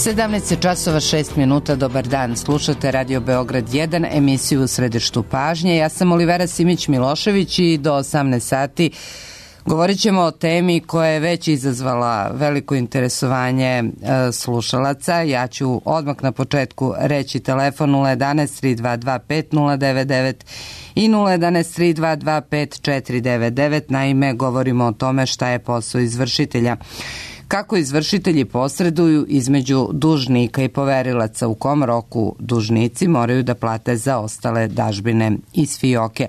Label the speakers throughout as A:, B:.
A: 17:06, dobar dan. Slušate Radio Beograd 1, emisiju u središtu pažnje. Ja sam Olivera Simić-Milošević i do 18 sati govorit ćemo o temi koja je već izazvala veliko interesovanje slušalaca. Ja ću odmah na početku reći telefon 011 322 5099 i 011 322 5499. Naime, govorimo o tome šta je posao izvršitelja. Kako izvršitelji posreduju između dužnika i poverilaca, u kom roku dužnici moraju da plate za ostale dažbine iz fioke.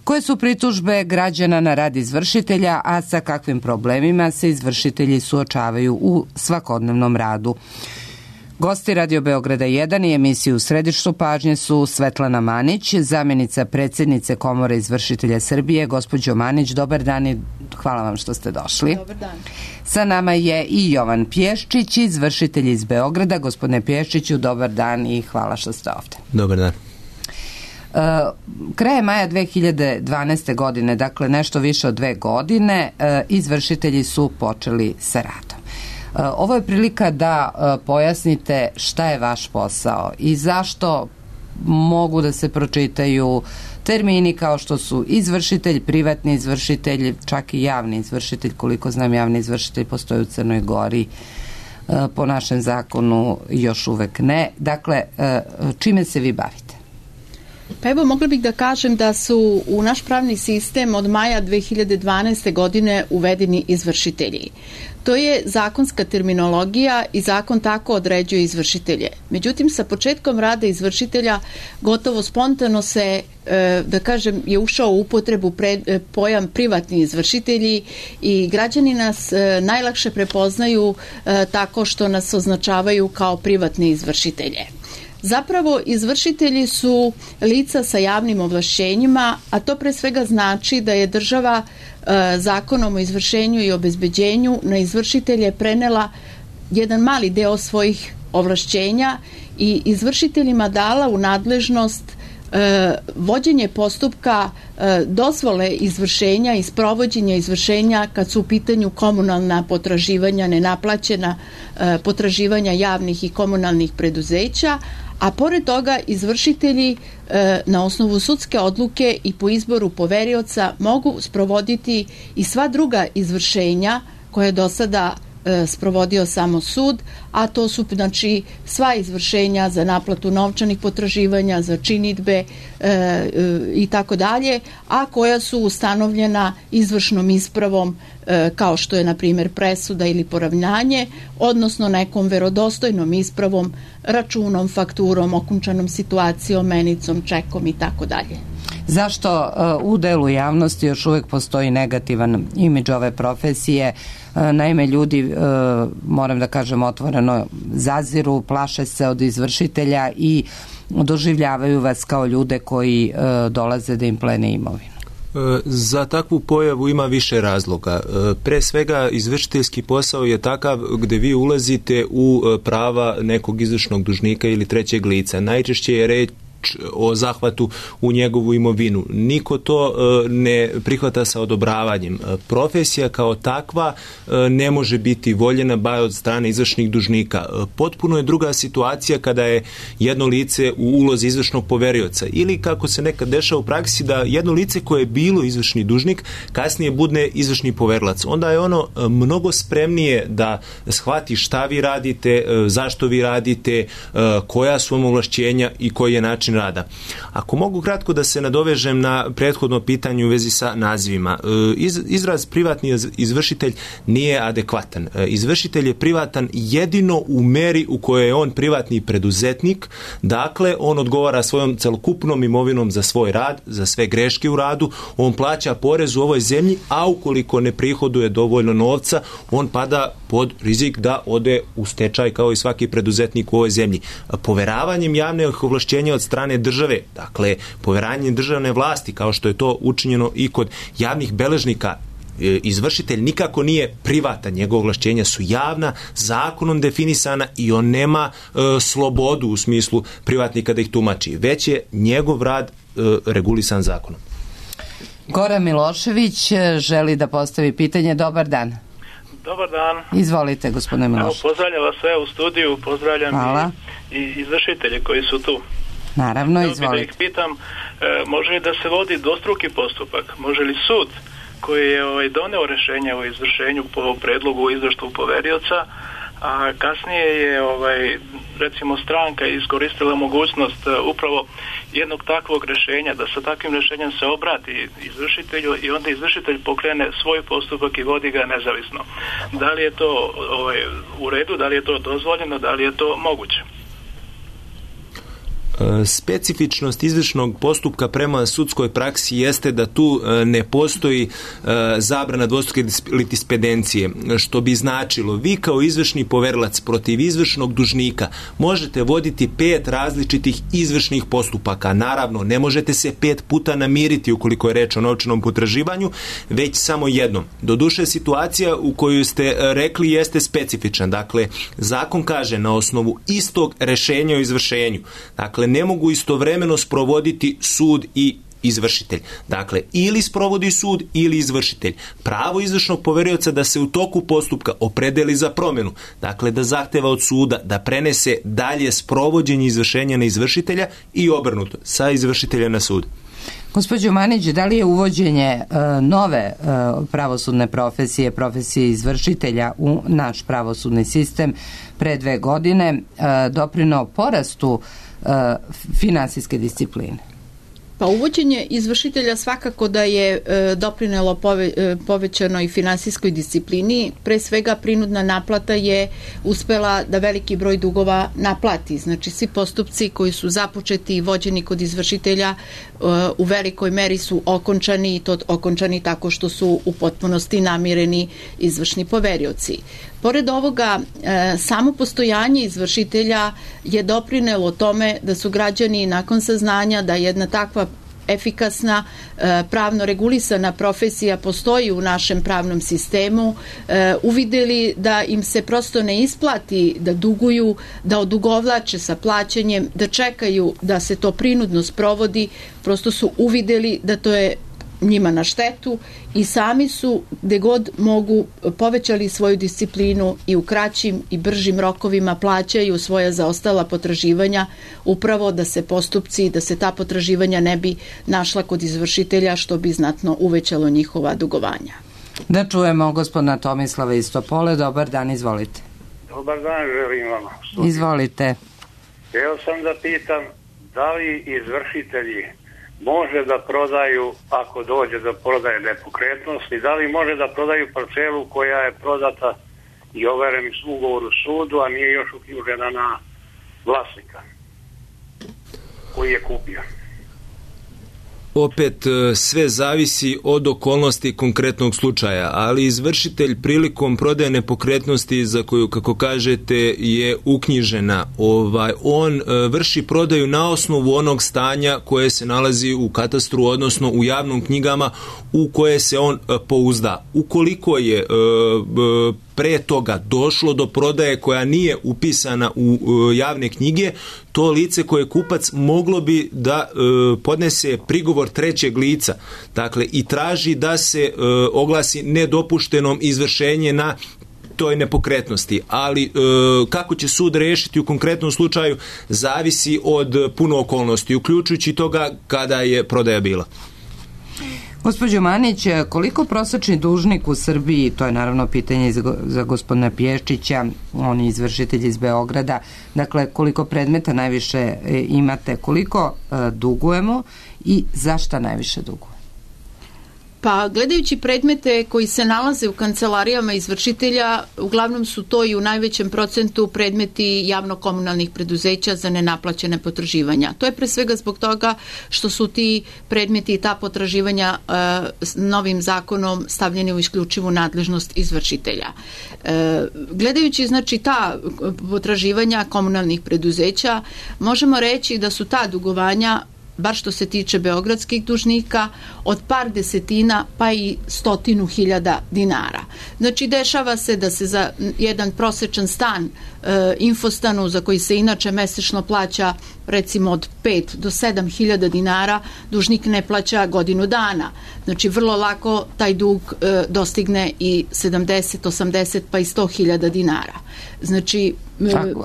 A: Koje su pritužbe građana na rad izvršitelja, a sa kakvim problemima se izvršitelji suočavaju u svakodnevnom radu? Gosti Radio Beograda 1 i emisiju u središtu pažnje su Svetlana Manić, zamjenica predsjednice Komore izvršitelja Srbije. Gospođo Manić, dobar dan i hvala vam što ste došli.
B: Dobar dan. Sa
A: nama je i Jovan Pješčić, izvršitelj iz Beograda. Gospodine Pješčiću, dobar dan i hvala što ste ovdje.
C: Dobar dan.
A: Krajem maja 2012. godine, dakle nešto više od 2 godine, izvršitelji su počeli sa radom. Ovo je prilika da pojasnite šta je vaš posao i zašto mogu da se pročitaju termini kao što su izvršitelj, privatni izvršitelj, čak i javni izvršitelj. Koliko znam, javni izvršitelj postoji u Crnoj Gori, po našem zakonu još uvek ne. Dakle, čime se vi bavite?
B: Pa evo, mogla bih da kažem da su u naš pravni sistem od maja 2012. godine uvedeni izvršitelji. To je zakonska terminologija i zakon tako određuje izvršitelje. Međutim, sa početkom rada izvršitelja gotovo spontano se, da kažem, je ušao u upotrebu pojam privatni izvršitelji i građani nas najlakše prepoznaju tako što nas označavaju kao privatne izvršitelje. Zapravo, izvršitelji su lica sa javnim ovlašćenjima, a to pre svega znači da je država zakonom o izvršenju i obezbeđenju na izvršitelje prenela jedan mali deo svojih ovlašćenja i izvršiteljima dala u nadležnost vođenje postupka dozvole izvršenja i sprovođenja izvršenja kad su u pitanju komunalna potraživanja, nenaplaćena potraživanja javnih i komunalnih preduzeća, a pored toga izvršitelji na osnovu sudske odluke i po izboru poverioca mogu sprovoditi i sva druga izvršenja koje je do sada sprovodio samo sud, a to su znači sva izvršenja za naplatu novčanih potraživanja, za činidbe i tako dalje, a koja su ustanovljena izvršnom ispravom kao što je na primjer presuda ili poravnanje, odnosno nekom verodostojnom ispravom, računom, fakturom, okončanom situacijom, menicom, čekom i tako dalje.
A: Zašto u delu javnosti još uvijek postoji negativan imidž ove profesije? Naime, ljudi, moram da kažem otvoreno, zaziru, plaše se od izvršitelja i doživljavaju vas kao ljude koji dolaze da im plene imovinu.
C: Za takvu pojavu ima više razloga. Pre svega, izvršiteljski posao je takav gde vi ulazite u prava nekog izvršnog dužnika ili trećeg lica. Najčešće je reč o zahvatu u njegovu imovinu. Niko to ne prihvata sa odobravanjem. Profesija kao takva ne može biti voljena bar od strane izvršnih dužnika. Potpuno je druga situacija kada je jedno lice u ulozi izvršnog poverioca ili kako se nekad dešava u praksi da jedno lice koje je bilo izvršni dužnik kasnije bude izvršni poverilac. Onda je ono mnogo spremnije da shvati šta vi radite, zašto vi radite, koja su vam ovlašćenja i koji je način rada. Ako mogu kratko da se nadovežem na prethodno pitanje u vezi sa nazivima. Izraz privatni izvršitelj nije adekvatan. Izvršitelj je privatan jedino u meri u kojoj je on privatni preduzetnik, dakle on odgovara svojom celokupnom imovinom za svoj rad, za sve greške u radu, on plaća porez u ovoj zemlji, a ukoliko ne prihoduje dovoljno novca, on pada pod rizik da ode u stečaj kao i svaki preduzetnik u ovoj zemlji. Poveravanjem javnih ovlašćenja od strane države, dakle poveranjem državne vlasti, kao što je to učinjeno i kod javnih beležnika, izvršitelj nikako nije privatan, njegove ovlašćenja su javna, zakonom definisana i on nema slobodu u smislu privatnika da ih tumači, već je njegov rad regulisan zakonom.
A: Goran Milošević želi da postavi pitanje. Dobar dan.
D: Dobar dan.
A: Izvolite, gospodine Milošević.
D: Pozdravljam vas sve u studiju, pozdravljam i izvršitelje koji su tu.
A: Naravno, izvolite.
D: Da ih pitam, može li da se vodi dvostruki postupak? Može li sud koji je doneo rješenje o izvršenju po predlogu izvršnog poverioca, a kasnije je recimo stranka iskoristila mogućnost upravo jednog takvog rješenja, da sa takvim rješenjem se obrati izvršitelju i onda izvršitelj pokrene svoj postupak i vodi ga nezavisno. Da li je to u redu, da li je to dozvoljeno, da li je to moguće?
C: Specifičnost izvršnog postupka prema sudskoj praksi jeste da tu ne postoji zabrana dvostruke litispedencije, što bi značilo vi kao izvršni poverilac protiv izvršnog dužnika možete voditi 5 različitih izvršnih postupaka. Naravno, ne možete se 5 puta namiriti ukoliko je reč o novčanom potraživanju, već samo jednom. Doduše, situacija u koju ste rekli jeste specifična. Dakle, zakon kaže na osnovu istog rešenja o izvršenju. Dakle, ne mogu istovremeno sprovoditi sud i izvršitelj. Dakle, ili sprovodi sud ili izvršitelj. Pravo izvršnog poverioca da se u toku postupka opredeli za promjenu. Dakle, da zahteva od suda da prenese dalje sprovođenje izvršenja na izvršitelja i obrnuto, sa izvršitelja na sud.
A: Gospođo Manić, da li je uvođenje nove pravosudne profesije, profesije izvršitelja u naš pravosudni sistem pre 2 godine doprineo porastu finansijske discipline?
B: Pa uvođenje izvršitelja svakako da je doprinelo povećanoj finansijskoj disciplini. Pre svega prinudna naplata je uspela da veliki broj dugova naplati. Znači svi postupci koji su započeti i vođeni kod izvršitelja u velikoj meri su okončani i to okončani tako što su u potpunosti namireni izvršni poverioci. Pored ovoga, samo postojanje izvršitelja je doprinelo tome da su građani nakon saznanja da jedna takva efikasna, pravno regulisana profesija postoji u našem pravnom sistemu, uvideli da im se prosto ne isplati da duguju, da odugovlače sa plaćanjem, da čekaju da se to prinudno sprovodi, prosto su uvideli da to je njima na štetu i sami su gde god mogu povećali svoju disciplinu i u kraćim i bržim rokovima plaćaju svoja zaostala potraživanja upravo da se postupci, da se ta potraživanja ne bi našla kod izvršitelja što bi znatno uvećalo njihova dugovanja.
A: Da čujemo gospodina Tomislava iz Topole. Dobar dan, izvolite.
E: Dobar dan, želim vam.
A: Izvolite.
E: Htio sam da pitam da li izvršitelji može da prodaju, ako dođe do prodaje nepokretnosti, da li može da prodaju parcelu koja je prodata i overen ugovor u sudu, a nije još uknjižena na vlasnika koji je kupio.
C: Opet sve zavisi od okolnosti konkretnog slučaja, ali izvršitelj prilikom prodaje nepokretnosti za koju, kako kažete, je uknjižena, on vrši prodaju na osnovu onog stanja koje se nalazi u katastru, odnosno u javnim knjigama u koje se on pouzda. Ukoliko je pre toga došlo do prodaje koja nije upisana u javne knjige, to lice koje je kupac moglo bi da podnese prigovor trećeg lica, dakle, i traži da se oglasi nedopuštenom izvršenje na toj nepokretnosti, ali kako će sud rešiti u konkretnom slučaju zavisi od puno okolnosti, uključujući toga kada je prodaja bila.
A: Gospođo Manić, koliko prosječni dužnik u Srbiji, to je naravno pitanje za gospodina Pješčića, on je izvršitelj iz Beograda, dakle koliko predmeta najviše imate, koliko dugujemo i zašto najviše dugujemo?
B: Pa gledajući predmete koji se nalaze u kancelarijama izvršitelja, uglavnom su to i u najvećem procentu predmeti javno-komunalnih preduzeća za nenaplaćene potraživanja. To je pre svega zbog toga što su ti predmeti i ta potraživanja novim zakonom stavljeni u isključivu nadležnost izvršitelja. Gledajući znači ta potraživanja komunalnih preduzeća, možemo reći da su ta dugovanja bar što se tiče beogradskih dužnika, od par desetina pa i 100.000 dinara. Znači, dešava se da se za jedan prosečan stan infostanu, za koji se inače mesečno plaća recimo od 5 do 7.000 dinara, dužnik ne plaća godinu dana. Znači, vrlo lako taj dug dostigne i 70, 80 pa i 100.000 dinara. Znači,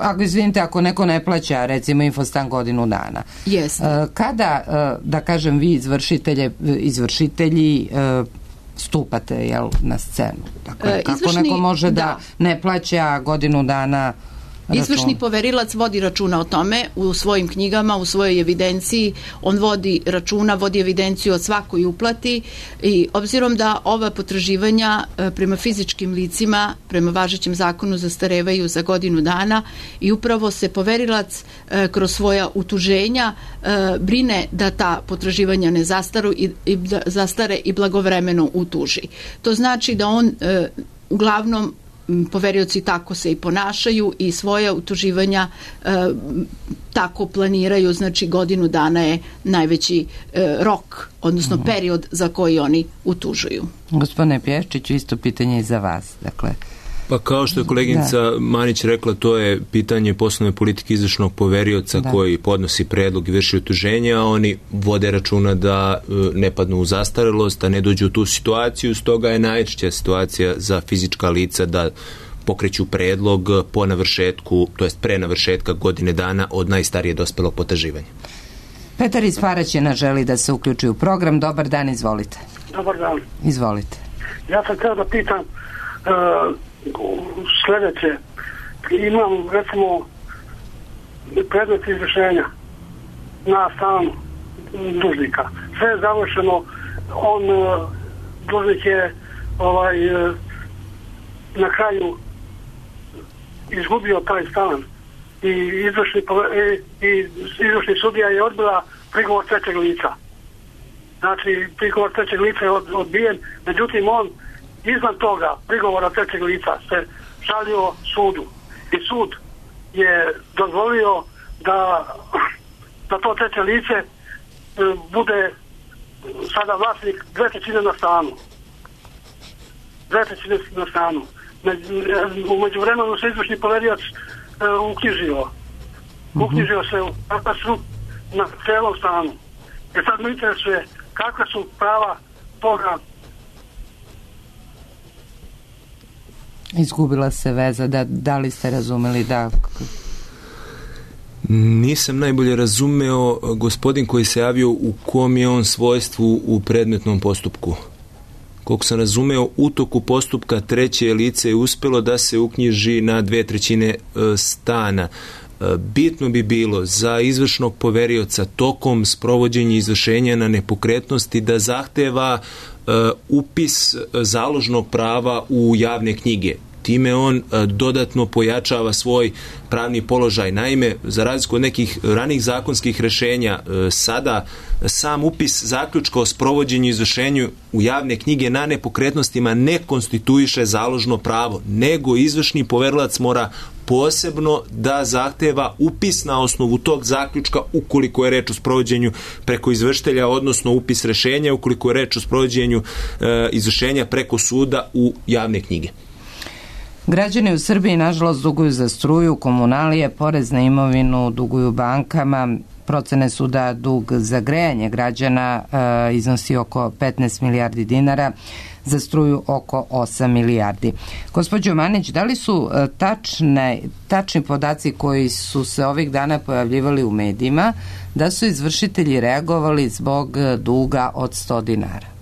A: ako izvinite, ako neko ne plaća recimo infostan godinu dana, kada, da kažem, vi izvršitelji stupate na scenu? Dakle, kako neko može da ne plaća godinu dana račun?
B: Izvršni poverilac vodi računa o tome u svojim knjigama, u svojoj evidenciji. On vodi računa, vodi evidenciju o svakoj uplati i obzirom da ova potraživanja prema fizičkim licima, prema važećem zakonu, zastarevaju za godinu dana i upravo se poverilac kroz svoja utuženja brine da ta potraživanja ne zastare i blagovremeno utuži. To znači da on uglavnom, poverioci tako se i ponašaju i svoja utuživanja tako planiraju, znači godinu dana je najveći rok, odnosno period za koji oni utužuju.
A: Gospodine Pješčiću, isto pitanje i za vas. Dakle,
C: pa kao što je koleginica Manić rekla, to je pitanje poslovne politike izvršnog poverioca koji podnosi predlog i vrši utuženje, a oni vode računa da ne padnu u zastarelost, da ne dođu u tu situaciju. Stoga je najčešća situacija za fizička lica da pokreću predlog po navršetku, to jest pre navršetka godine dana od najstarije dospelog potraživanja.
A: Petar iz Paraćina želi da se uključi u program. Dobar dan, izvolite.
F: Dobar dan.
A: Izvolite.
F: Ja sam htio da pitam sljedeće. Imam, recimo, predmet izvršenja na stan dužnika. Sve je završeno, dužnik je na kraju izgubio taj stan i izvršni sudija je odbila prigovor trećeg lica. Znači, prigovor trećeg lica je odbijen, međutim on iznad toga prigovora trećeg lica se žalio sudu i sud je dozvolio da to treće lice bude sada vlasnik 2/3 na stanu. 2/3 na stanu. U međuvremenu se izvršni poverioc uknjižio se u katastru na celom stanu. I sad me interesuje kakva su prava toga.
A: Izgubila se veza, da li ste razumeli da...
C: Nisam najbolje razumeo gospodin koji se javio u kom je on svojstvu u predmetnom postupku. Koliko sam razumeo, u toku postupka treće lice je uspjelo da se uknjiži na 2/3 stana. Bitno bi bilo za izvršnog poverioca tokom sprovođenja izvršenja na nepokretnosti da zahteva upis založnog prava u javne knjige. Time on dodatno pojačava svoj pravni položaj. Naime, za razliku od nekih ranih zakonskih rješenja, sada sam upis zaključka o sprovođenju i izvršenju u javne knjige na nepokretnostima ne konstituiše založno pravo, nego izvršni poverilac mora posebno da zahteva upis na osnovu tog zaključka ukoliko je reč o sprovođenju preko izvršitelja, odnosno upis rješenja ukoliko je reč o sprovođenju izvršenja preko suda u javne knjige.
A: Građani u Srbiji nažalost duguju za struju, komunalije, porez na imovinu, duguju bankama. Procene su da dug za grejanje građana iznosi oko 15 milijardi dinara, za struju oko 8 milijardi. Gospođo Manić, da li su tačni podaci koji su se ovih dana pojavljivali u medijima da su izvršitelji reagovali zbog duga od 100 dinara?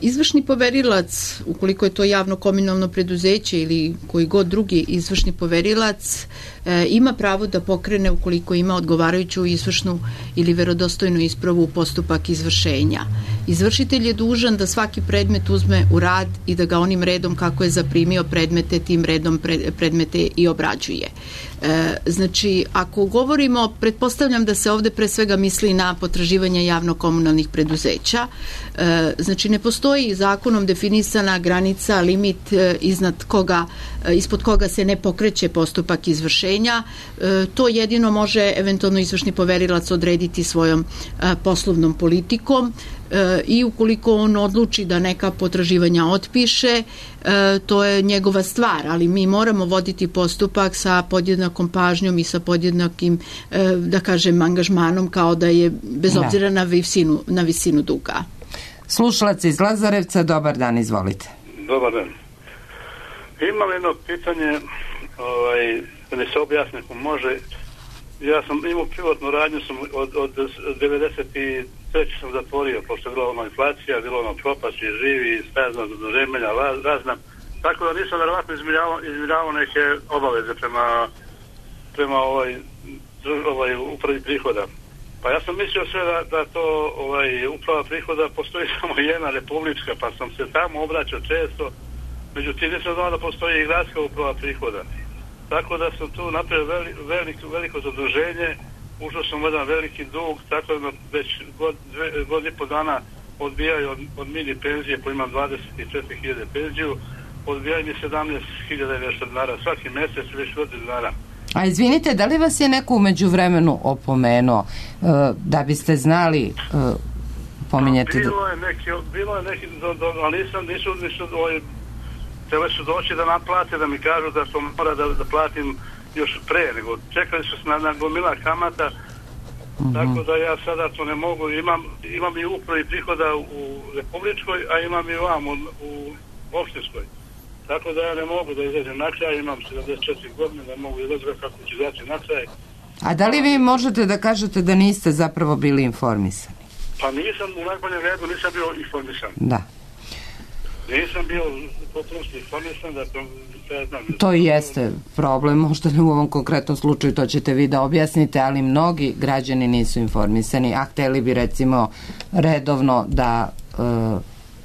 B: Izvršni poverilac, ukoliko je to javno komunalno preduzeće ili koji god drugi izvršni poverilac, ima pravo da pokrene, ukoliko ima odgovarajuću izvršnu ili verodostojnu ispravu, postupak izvršenja. Izvršitelj je dužan da svaki predmet uzme u rad i da ga onim redom kako je zaprimio predmete, tim redom predmete i obrađuje. Znači, ako govorimo, pretpostavljam da se ovde pre svega misli na potraživanje javno-komunalnih preduzeća. Znači, ne postoji zakonom definisana granica, limit ispod koga se ne pokreće postupak izvršenja. To jedino može eventualno izvršni poverilac odrediti svojom poslovnom politikom i ukoliko on odluči da neka potraživanja otpiše, to je njegova stvar, ali mi moramo voditi postupak sa podjednakom pažnjom i sa podjednakim, da kažem, angažmanom kao da je bez obzira na visinu duga.
A: Slušalac iz Lazarevca, dobar dan, izvolite.
G: Dobar dan. Imam jedno pitanje, da mi se objasni ako može. Ja sam imao privatnu radnju, od 93. sam zatvorio, pošto je bila ona inflacija, bilo ono propast i živi, stazna zaduženja, razna. Tako da nisam verovatno izmiravao neke obaveze prema upravi prihoda. Pa ja sam mislio sve da to uprava prihoda postoji samo jedna republička, pa sam se tamo obraćao često, međutim nisam znao da postoji i gradska uprava prihoda. Tako da sam tu napravio veliko zaduženje, ušao sam u jedan veliki dug, tako da već godinu i po dana odbijaju od mini penzije, po imam 24.000 penziju, odbijaju mi 17.000 i nešto dinara, svaki mjesec već godinu dana.
A: A izvinite, da li vas je neko u međuvremenu opomenuo da biste znali pominjati?
G: Bilo je neki, ali nisu trebali su doći da naplate, da mi kažu da to mora da platim još pre, nego čekali su se na gomila kamata, tako da ja sada to ne mogu. Imam i upravi prihoda u republičkoj, a imam i vam u opštinskoj. Tako da ja ne mogu da izađem na kraj, imam 74 godine, ne mogu izaći kako ću izaći na kraj.
A: A da li vi možete da kažete da niste zapravo bili informisani?
G: Pa nisam, u najboljem redu nisam bio informisan.
A: Da.
G: Nisam bio potpuno informisan da to...
A: To i jeste problem, možda ne u ovom konkretnom slučaju, to ćete vi da objasnite, ali mnogi građani nisu informisani, a hteli bi recimo redovno da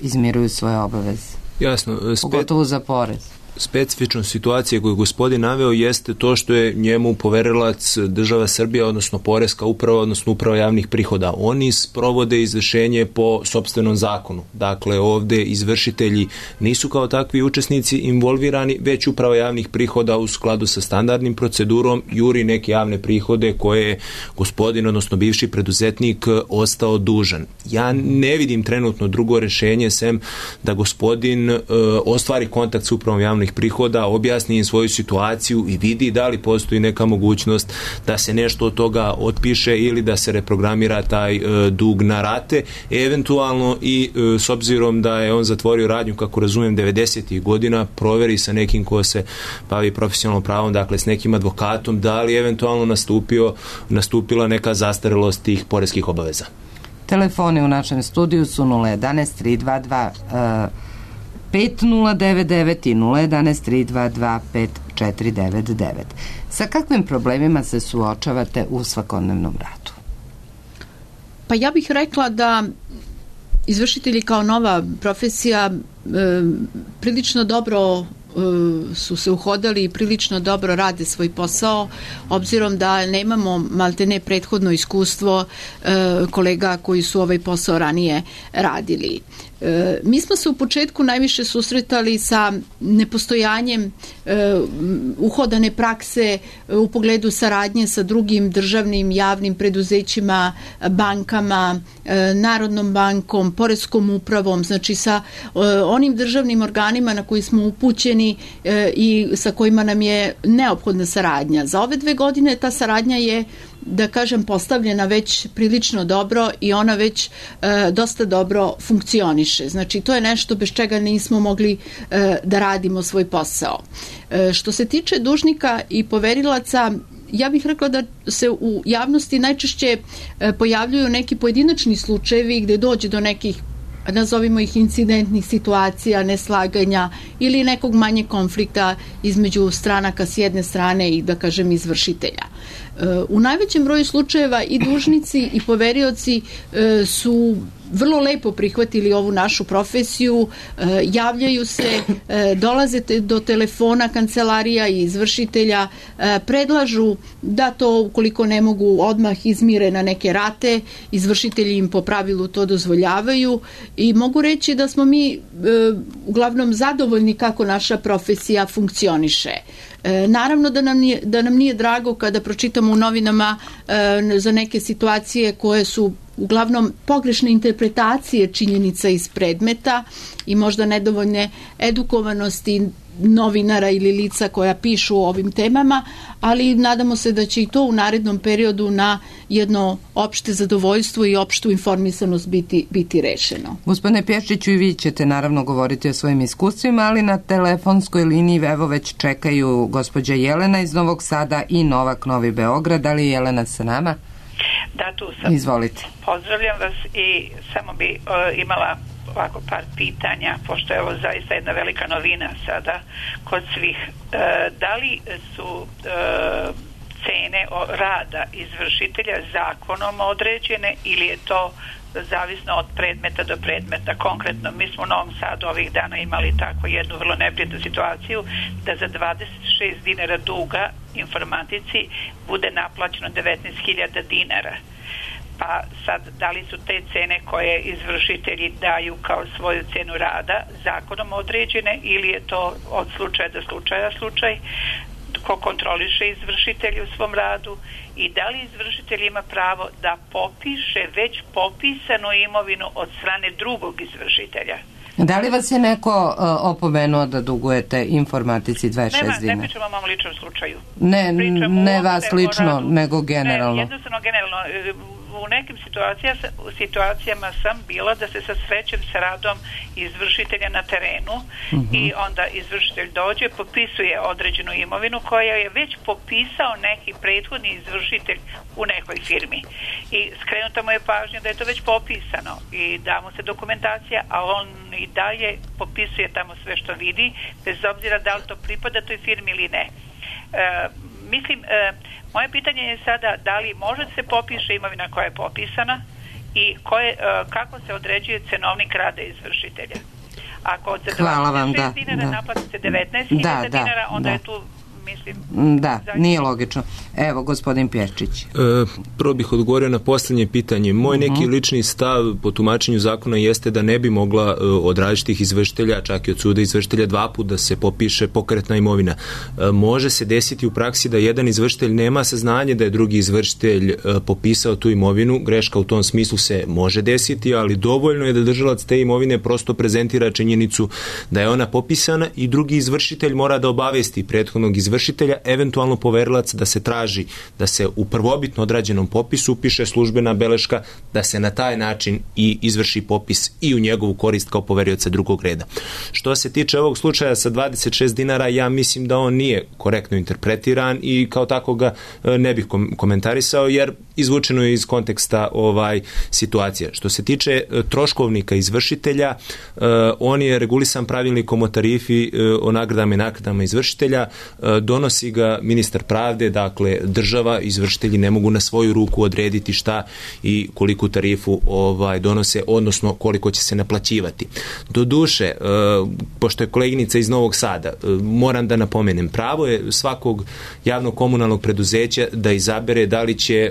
A: izmiruju svoje obaveze.
C: Jasno.
A: Pogotovo za porez.
C: Specifična situacija koju gospodin naveo jeste to što je njemu poverilac država Srbija, odnosno poreska uprava, odnosno uprava javnih prihoda. Oni sprovode izvršenje po sopstvenom zakonu. Dakle, ovde izvršitelji nisu kao takvi učesnici involvirani, već uprava javnih prihoda u skladu sa standardnim procedurom juri neke javne prihode koje je gospodin, odnosno bivši preduzetnik, ostao dužan. Ja ne vidim trenutno drugo rešenje sem da gospodin ostvari kontakt s upravom javnih prihoda, objasni im svoju situaciju i vidi da li postoji neka mogućnost da se nešto od toga otpiše ili da se reprogramira taj dug na rate. Eventualno i s obzirom da je on zatvorio radnju, kako razumijem, 90. godina, proveri sa nekim ko se bavi profesionalnom pravom, dakle s nekim advokatom, da li eventualno nastupila neka zastarelost tih poreskih obaveza.
A: Telefoni u našem studiju su 011 322 5099 i 011 322 5499. Sa kakvim problemima se suočavate u svakodnevnom radu?
B: Pa ja bih rekla da izvršitelji kao nova profesija prilično dobro su se uhodali i prilično dobro rade svoj posao, obzirom da nemamo maltene prethodno iskustvo kolega koji su ovaj posao ranije radili. Mi smo se u početku najviše susretali sa nepostojanjem uhodane prakse u pogledu saradnje sa drugim državnim javnim preduzećima, bankama, Narodnom bankom, poreskom upravom, znači sa onim državnim organima na koji smo upućeni i sa kojima nam je neophodna saradnja. Za ove 2 godine ta saradnja je, da kažem, postavljena već prilično dobro i ona već dosta dobro funkcioniše. Znači, to je nešto bez čega nismo mogli da radimo svoj posao. Što se tiče dužnika i poverilaca, ja bih rekla da se u javnosti najčešće pojavljuju neki pojedinačni slučajevi gde dođe do nekih, nazovimo ih, incidentnih situacija, neslaganja ili nekog manje konflikta između stranaka s jedne strane i, da kažem, izvršitelja. U najvećem broju slučajeva i dužnici i poverioci su vrlo lepo prihvatili ovu našu profesiju, javljaju se, dolaze do telefona kancelarija i izvršitelja, predlažu da to ukoliko ne mogu odmah izmire na neke rate, izvršitelji im po pravilu to dozvoljavaju i mogu reći da smo mi uglavnom zadovoljni kako naša profesija funkcioniše. Naravno da nam nije drago kada pročitamo u novinama za neke situacije koje su uglavnom pogrešne interpretacije činjenica iz predmeta i možda nedovoljne edukovanosti novinara ili lica koja pišu o ovim temama, ali nadamo se da će i to u narednom periodu na jedno opšte zadovoljstvo i opštu informisanost biti rešeno.
A: Gospodine Pješčiću, i vi ćete naravno govoriti o svojim iskustvima, ali na telefonskoj liniji evo već čekaju gospođa Jelena iz Novog Sada i Novak Novi Beograd. Da li je Jelena sa nama?
H: Da, tu sam.
A: Izvolite.
H: Pozdravljam vas i samo bi imala ovako par pitanja, pošto je ovo zaista jedna velika novina sada kod svih. Da li su cene rada izvršitelja zakonom određene ili je to zavisno od predmeta do predmeta? Konkretno, mi smo u Novom Sadu ovih dana imali tako jednu vrlo neprijatnu situaciju da za 26 dinara duga informatici bude naplaćeno 19.000 dinara. Pa sad, da li su te cene koje izvršitelji daju kao svoju cenu rada zakonom određene ili je to od slučaja do slučaj? Ko kontroliše izvršitelji u svom radu i da li izvršitelj ima pravo da popiše već popisanu imovinu od strane drugog izvršitelja?
A: Da li vas je neko opomenuo da dugujete informatici 26 dinara?
H: Ne pričamo o mom ličnom slučaju.
A: Ne vas lično, nego generalno.
H: Ne, jednostavno generalno. U nekim situacijama sam bila da se srećem sa radom izvršitelja na terenu i onda izvršitelj dođe, popisuje određenu imovinu koja je već popisao neki prethodni izvršitelj u nekoj firmi. I skrenuta mu je pažnja da je to već popisano i da mu se dokumentacija, a on i dalje popisuje tamo sve što vidi, bez obzira da li to pripada toj firmi ili ne. Mislim, moje pitanje je sada da li može da se popiše imovina koja je popisana i kako se određuje cenovnik rada izvršitelja. Ako od 26 dinara naplati se 19.000 dinara, onda je tu, mislim...
A: Da, nije logično. Evo, gospodin Pješčić.
C: Prvo bih odgovorio na posljednje pitanje. Moj neki lični stav po tumačenju zakona jeste da ne bi mogla od različitih izvršitelja, čak i od suda izvršitelja, 2 puta da se popiše pokretna imovina. Može se desiti u praksi da jedan izvršitelj nema saznanje da je drugi izvršitelj popisao tu imovinu. Greška u tom smislu se može desiti, ali dovoljno je da držalac te imovine prosto prezentira činjenicu da je ona popisana i drugi izvršitelj mora da obavesti prethodnog izvršitelja, eventualno poverilac, da se traži da se u prvobitno odrađenom popisu upiše službena beleška, da se na taj način i izvrši popis i u njegovu korist kao poverioca drugog reda. Što se tiče ovog slučaja sa 26 dinara, ja mislim da on nije korektno interpretiran i kao tako ga ne bih komentarisao, jer izvučeno je iz konteksta situacija. Što se tiče troškovnika izvršitelja, on je regulisan pravilnikom o tarifi o nagradama i naknadama izvršitelja, donosi ga ministar pravde, dakle država, izvršitelji ne mogu na svoju ruku odrediti šta i koliku tarifu donose, odnosno koliko će se naplaćivati. Doduše, pošto je koleginica iz Novog Sada, moram da napomenem, pravo je svakog javnog komunalnog preduzeća da izabere da li će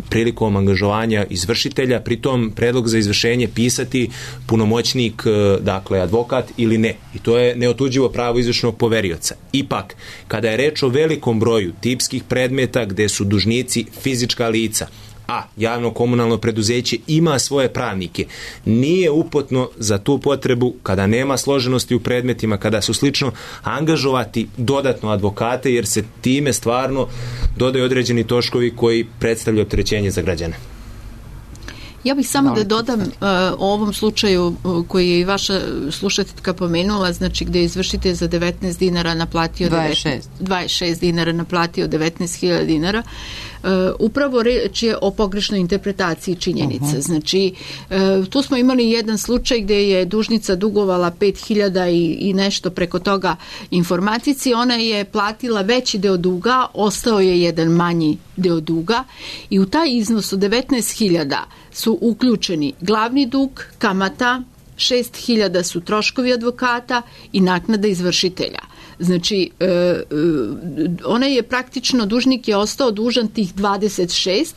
C: prilikom angažovanja izvršitelja, pritom predlog za izvršenje pisati punomoćnik, dakle advokat ili ne. I to je neotuđivo pravo izvršnog poverioca. Ipak, kada je reč o velikom broju tipskih predmeta gde su dužnici fizička lica, a javno komunalno preduzeće ima svoje pravnike, nije uputno za tu potrebu, kada nema složenosti u predmetima, kada su slično, angažovati dodatno advokate, jer se time stvarno dodaju određeni troškovi koji predstavljaju opterećenje za građane.
B: Ja bih samo da dodam o ovom slučaju koji je i vaša slušateljka pomenula, znači gde je izvršitelj za 19 dinara naplatio 26 dinara naplatio 19.000 dinara. Upravo reč je o pogrešnoj interpretaciji činjenice. Znači, tu smo imali jedan slučaj gde je dužnica dugovala 5.000 i nešto preko toga informatici. Ona je platila veći deo duga, ostao je jedan manji deo duga i u taj iznos od 19.000 su uključeni glavni dug, kamata, 6.000 su troškovi advokata i naknada izvršitelja. Znači, ona je praktično, dužnik je ostao dužan tih 26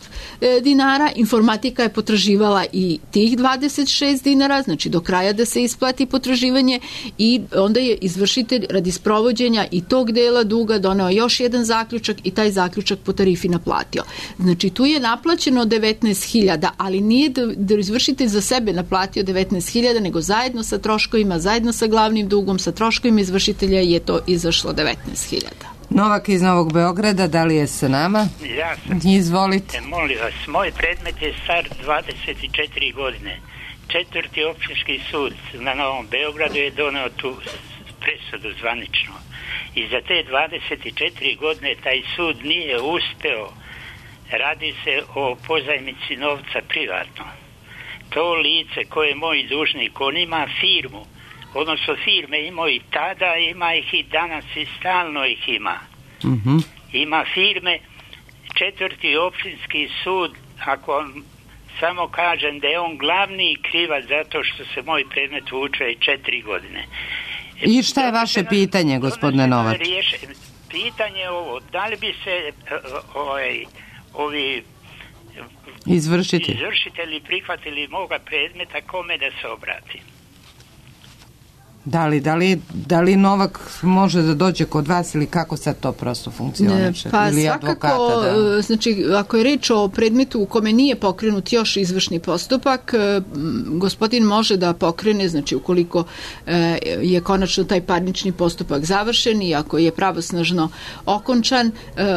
B: dinara, informatika je potraživala i tih 26 dinara, znači do kraja da se isplati potraživanje, i onda je izvršitelj radi sprovođenja i tog dela duga doneo još jedan zaključak i taj zaključak po tarifi naplatio. Znači, tu je naplaćeno 19.000, ali nije da izvršitelj za sebe naplatio 19.000, nego zajedno sa troškovima, zajedno sa glavnim dugom, sa troškovima izvršitelja je to izašlo 19.000.
A: Novak iz Novog Beograda, da li je sa nama?
I: Ja sam.
A: Izvolite.
I: Molim vas, moj predmet je star 24 godine. 4. općinski sud na Novom Beogradu je doneo tu presudu zvanično. I za te 24 godine taj sud nije uspeo. Radi se o pozajmici novca privatno. To lice koje je moj dužnik, on ima firmu, odnosno firme imao i tada, ima ih i danas i stalno ih ima. Ima firme, 4. općinski sud, ako samo kažem da je on glavni krivac zato što se moj predmet vuče 4 godine.
A: I šta je vaše pitanje, gospodine Novak?
I: Pitanje je ovo, da li bi se ovi izvršitelji prihvatili moga predmeta, kome da se obrati?
A: Da li Novak može da dođe kod vas ili kako sad to prosto funkcioniše?
B: Pa
A: ili
B: svakako,
A: advokata,
B: znači ako je reč o predmetu u kome nije pokrenut još izvršni postupak, gospodin može da pokrene, znači ukoliko je konačno taj parnični postupak završen i ako je pravosnažno okončan,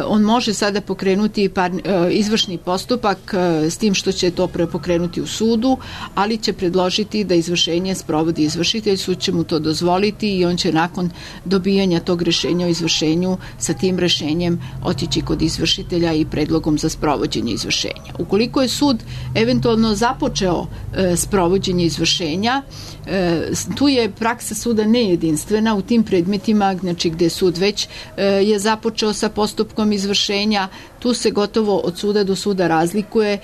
B: on može sada pokrenuti izvršni postupak s tim što će to pokrenuti u sudu, ali će predložiti da izvršenje sprovodi izvršitelj, sud će mu to dozvoliti i on će nakon dobijanja tog rešenja o izvršenju sa tim rešenjem otići kod izvršitelja i predlogom za sprovođenje izvršenja. Ukoliko je sud eventualno započeo sprovođenje izvršenja, tu je praksa suda nejedinstvena u tim predmetima, znači gde sud već je započeo sa postupkom izvršenja. Tu se gotovo od suda do suda razlikuje.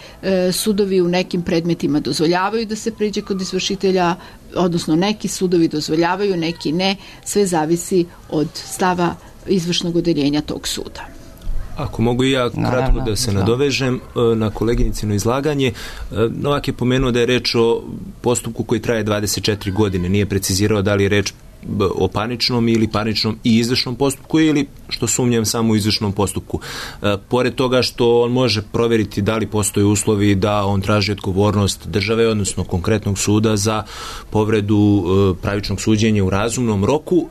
B: Sudovi u nekim predmetima dozvoljavaju da se priđe kod izvršitelja, odnosno neki sudovi dozvoljavaju, neki ne. Sve zavisi od stava izvršnog odeljenja tog suda.
C: Ako mogu i ja kratko da se nadovežem na koleginicino izlaganje. Novak je pomenuo da je reč o postupku koji traje 24 godine. Nije precizirao da li je reč o parničnom ili parničnom i izvršnom postupku ili, što sumnjam, samo u izvršnom postupku. Pored toga što on može proveriti da li postoje uslovi da on traži odgovornost države, odnosno konkretnog suda za povredu pravičnog suđenja u razumnom roku,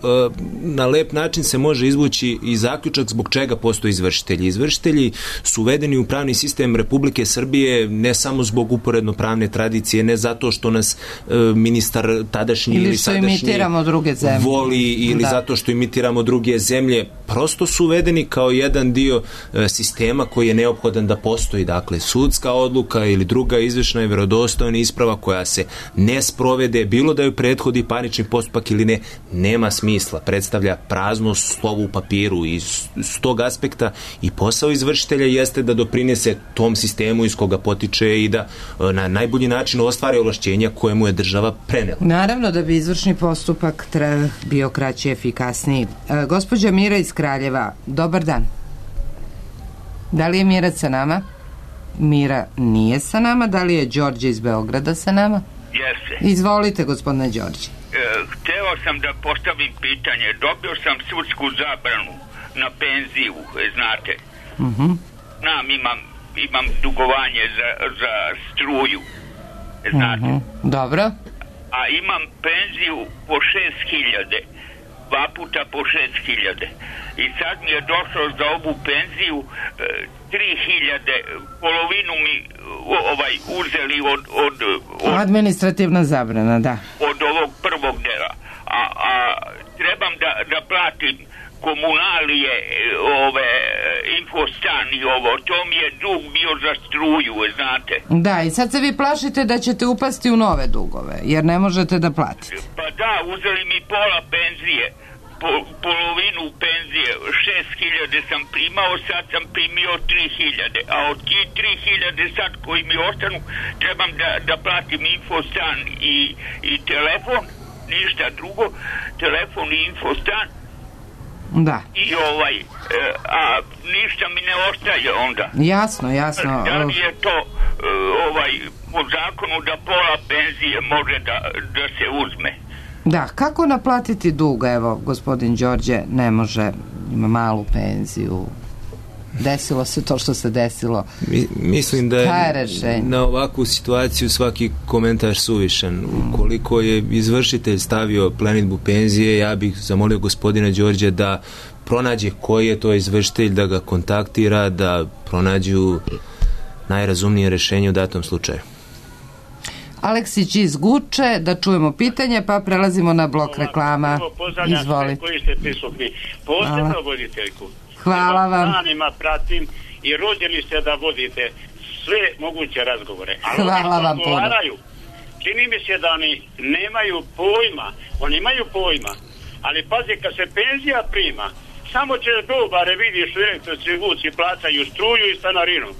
C: na lep način se može izvući i zaključak zbog čega postoje izvršitelji. Izvršitelji su uvedeni u pravni sistem Republike Srbije ne samo zbog uporedno pravne tradicije, ne zato što nas ministar tadašnji ili sadašnji voli ili zato što imitiramo druge zemlje, prosto su uvedeni kao jedan dio sistema koji je neophodan da postoji. Dakle, sudska odluka ili druga izvršna i vjerodostojna isprava koja se ne sprovede, bilo da ju prethodi parnični postupak ili ne, nema smisla. Predstavlja prazno slovo u papiru i s tog aspekta i posao izvršitelja jeste da doprinese tom sistemu iz koga potiče i da na najbolji način ostvari ovlašćenja koje mu je država prenela.
A: Naravno da bi izvršni postupak bio kraći i efikasniji. Gospođa Mira iz Kraljeva, dobar dan. Da li je Mira sa nama? Mira nije sa nama. Da li je Đorđe iz Beograda sa nama?
J: Jeste.
A: Izvolite, gospodine Đorđe.
J: Hteo sam da postavim pitanje. Dobio sam sudsku zabranu na penziju, znate. Imam dugovanje za struju, znate.
A: Dobro.
J: A imam penziju po 6.000, 2 puta po 6.000. I sad mi je došlo za ovu penziju 3.000, polovinu mi uzeli od
A: administrativna zabrana, da.
J: Od ovog prvog dela. A trebam da platim komunalije, infostan i ovo, to mi je dug bio za struju, znate.
A: Da, i sad se vi plašite da ćete upasti u nove dugove, jer ne možete da platite.
J: Pa da, uzeli mi pola penzije, polovinu penzije, 6.000 sam primao, sad sam primio 3.000, a od tih 3.000 sad koji mi ostanu trebam da platim infostan i telefon, ništa drugo, telefon i infostan.
A: Da.
J: I a ništa mi ne ostaje onda.
A: Jasno.
J: Da li je to po zakonu da pola penzije može da se uzme?
A: Da, kako naplatiti dug? Evo, gospodin Đorđe ne može, ima malu penziju. Desilo se to što se desilo.
C: Mislim da je na ovakvu situaciju svaki komentar suvišan. Ukoliko je izvršitelj stavio plenidbu penzije, ja bih zamolio gospodina Đorđe da pronađe koji je to izvršitelj, da ga kontaktira, da pronađu najrazumnije rješenje u datom slučaju.
A: Aleksić iz Guče, da čujemo pitanje, pa prelazimo na blok reklama. Izvoli.
K: Koji ste prisutni. Posebno voditeljku.
A: Hvala vam.
K: Danima pratim i rođeni ste da vodite sve moguće razgovore. Ali
A: hvala vam puno.
K: Čini mi se da oni nemaju pojma. Oni imaju pojma. Ali pazi, kad se penzija prima, samo ćeš dobare vidiš u elektrici vuci, plaćaju struju i stanarinu.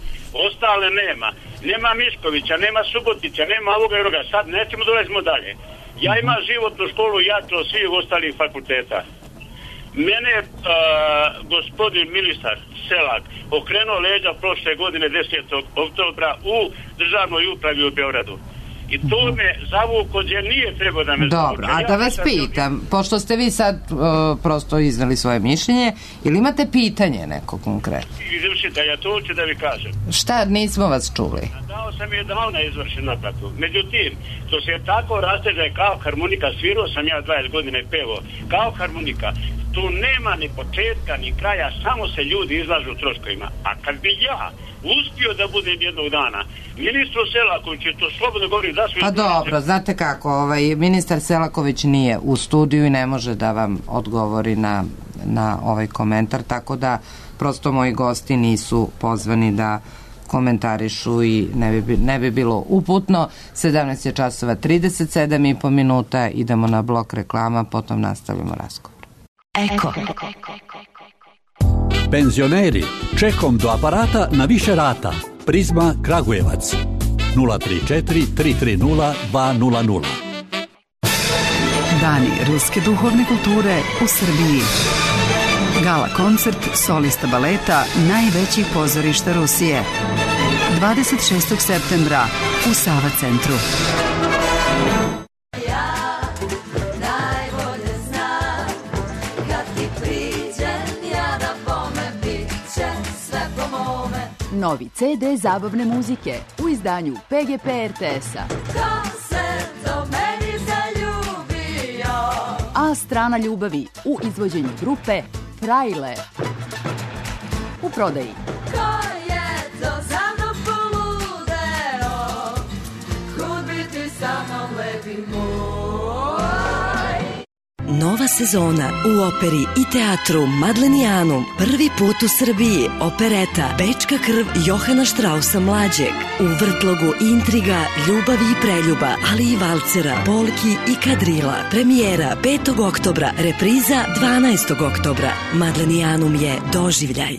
K: Ostale nema. Nema Miškovića, nema Subotića, nema ovoga i onoga. Sad nećemo, dolazimo dalje. Ja imam životnu školu, ja to svih ostalih fakulteta. Mene je gospodin ministar Selak okrenuo leđa prošle godine 10. oktobra u državnoj upravi u Beogradu. I to me zavuko gdje nije trebao da me zavuko.
A: Dobro, a da vas pitam, pošto ste vi sad prosto iznali svoje mišljenje, ili imate pitanje neko konkretno?
K: Izvršitelja, to ću da vi kažem.
A: Šta, nismo vas čuli?
K: Dao sam je davno izvršen naplatu. Međutim, to se tako rasteže kao harmonika, svirao sam ja 20 godina i pevo, kao harmonika. Tu nema ni početka ni kraja, samo se ljudi izlažu troškovima. A kad bi ja uspio da budem jednog dana ministru Selakoviću, to slobodno govorim da su...
A: Pa dobro, znate kako, ministar Selaković nije u studiju i ne može da vam odgovori na ovaj komentar, tako da prosto moji gosti nisu pozvani da komentarišu i ne bi bilo uputno. 17 je časova 37,5 minuta, idemo na blok reklama, potom nastavimo razgovor. Eko.
L: Penzioneri, čekom do aparata na više rata. Prizma Kragujevac 034 330 200.
M: Dani ruske duhovne kulture u Srbiji. Gala koncert solista baleta najvećih pozorišta Rusije. 26. septembra u Sava centru. Novi CD zabavne muzike u izdanju PGP RTS-a. A strana ljubavi u izvođenju grupe Frajle. U prodaji.
N: Nova sezona u operi i teatru Madlenijanum. Prvi put u Srbiji opereta Bečka krv Johana Štrausa mlađeg. U vrtlogu intriga, ljubavi i preljuba, ali i valcera, polki i kadrila. Premijera 5. oktobra, repriza 12. oktobra. Madlenijanum je doživljaj.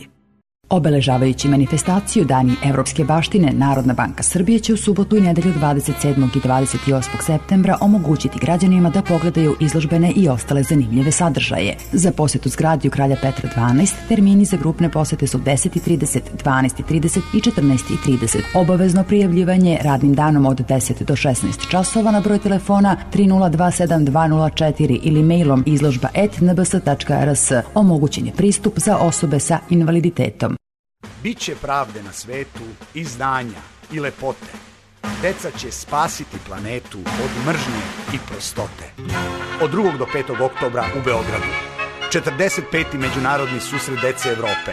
O: Obeležavajući manifestaciju Dani Evropske baštine, Narodna banka Srbije će u subotu i nedelju 27. i 28. septembra omogućiti građanima da pogledaju izložbene i ostale zanimljive sadržaje. Za posjetu zgradi u Kralja Petra 12, termini za grupne posete su 10:30, 12:30 i 14:30. Obavezno prijavljivanje radnim danom od 10 do 16 časova na broj telefona 3027-204 ili mailom izložba@nbs.rs. Omogućen je pristup za osobe sa invaliditetom.
P: Biće pravde na svetu i znanja i lepote. Deca će spasiti planetu od mržnje i prostote. Od 2. do 5. oktobra u Beogradu. 45. međunarodni susret dece Evrope.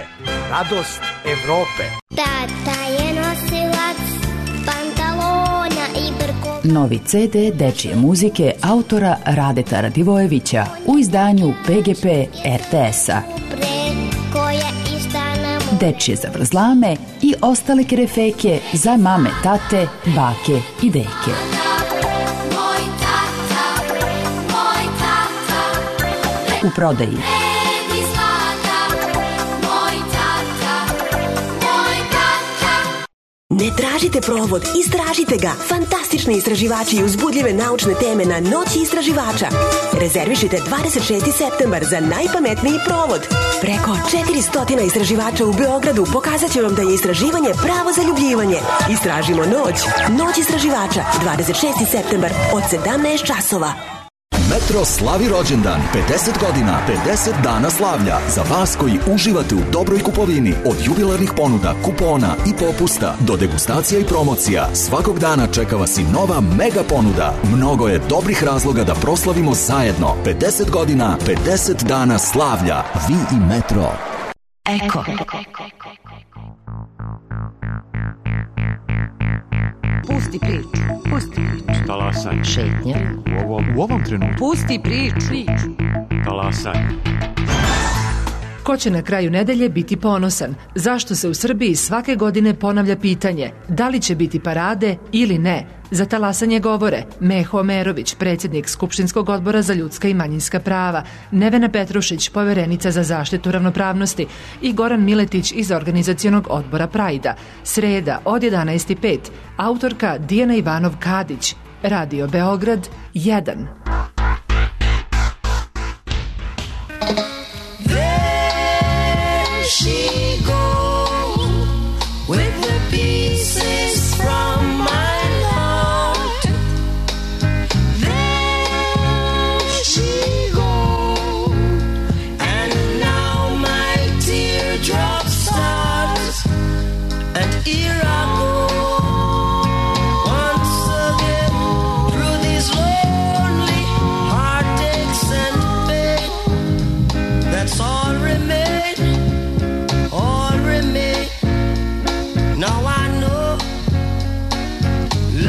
P: Radost Evrope.
Q: Tata je nosilac pantalona i brkova.
O: Novi CD dečije muzike autora Radeta Radivojevića u izdanju PGP RTS-a. Dečije zavrzlame i ostale kerefeke za mame, tate, bake i deke. u prodaji.
N: Ne tražite provod, istražite ga. Fantastični istraživači i uzbudljive naučne teme na Noći istraživača. Rezervišite 26. septembar za najpametniji provod. Preko 400 istraživača u Beogradu pokazat će vam da je istraživanje pravo zaljubljivanje. Istražimo noć. Noć istraživača, 26. septembar od 17 časova.
R: Metro slavi rođendan, 50 godina, 50 dana slavlja. Za vas koji uživate u dobroj kupovini, od jubilarnih ponuda, kupona i popusta do degustacija i promocija, svakog dana čeka vas i nova mega ponuda. Mnogo je dobrih razloga da proslavimo zajedno. 50 godina, 50 dana slavlja. Vi i Metro.
O: Eko.
S: Pusti priču. Pusti priču.
T: Talasaj.
S: Šetnja.
T: U ovom trenutku.
S: Pusti priču.
T: Talasaj.
U: Ko će na kraju nedelje biti ponosan? Zašto se u Srbiji svake godine ponavlja pitanje da li će biti parade ili ne? Za talasanje govore Meho Omerović, predsjednik Skupštinskog odbora za ljudska i manjinska prava, Nevena Petrušić, poverenica za zaštitu ravnopravnosti i Goran Miletić iz organizacionog odbora Prajda. Sreda od 11:05. Autorka Dijana Ivanov-Kadić. Radio Beograd 1.
V: She goes with the pieces from my heart. There she goes, and now my teardrop starts, and here I go once again through these lonely heartaches and pain. That's all remains. Now I know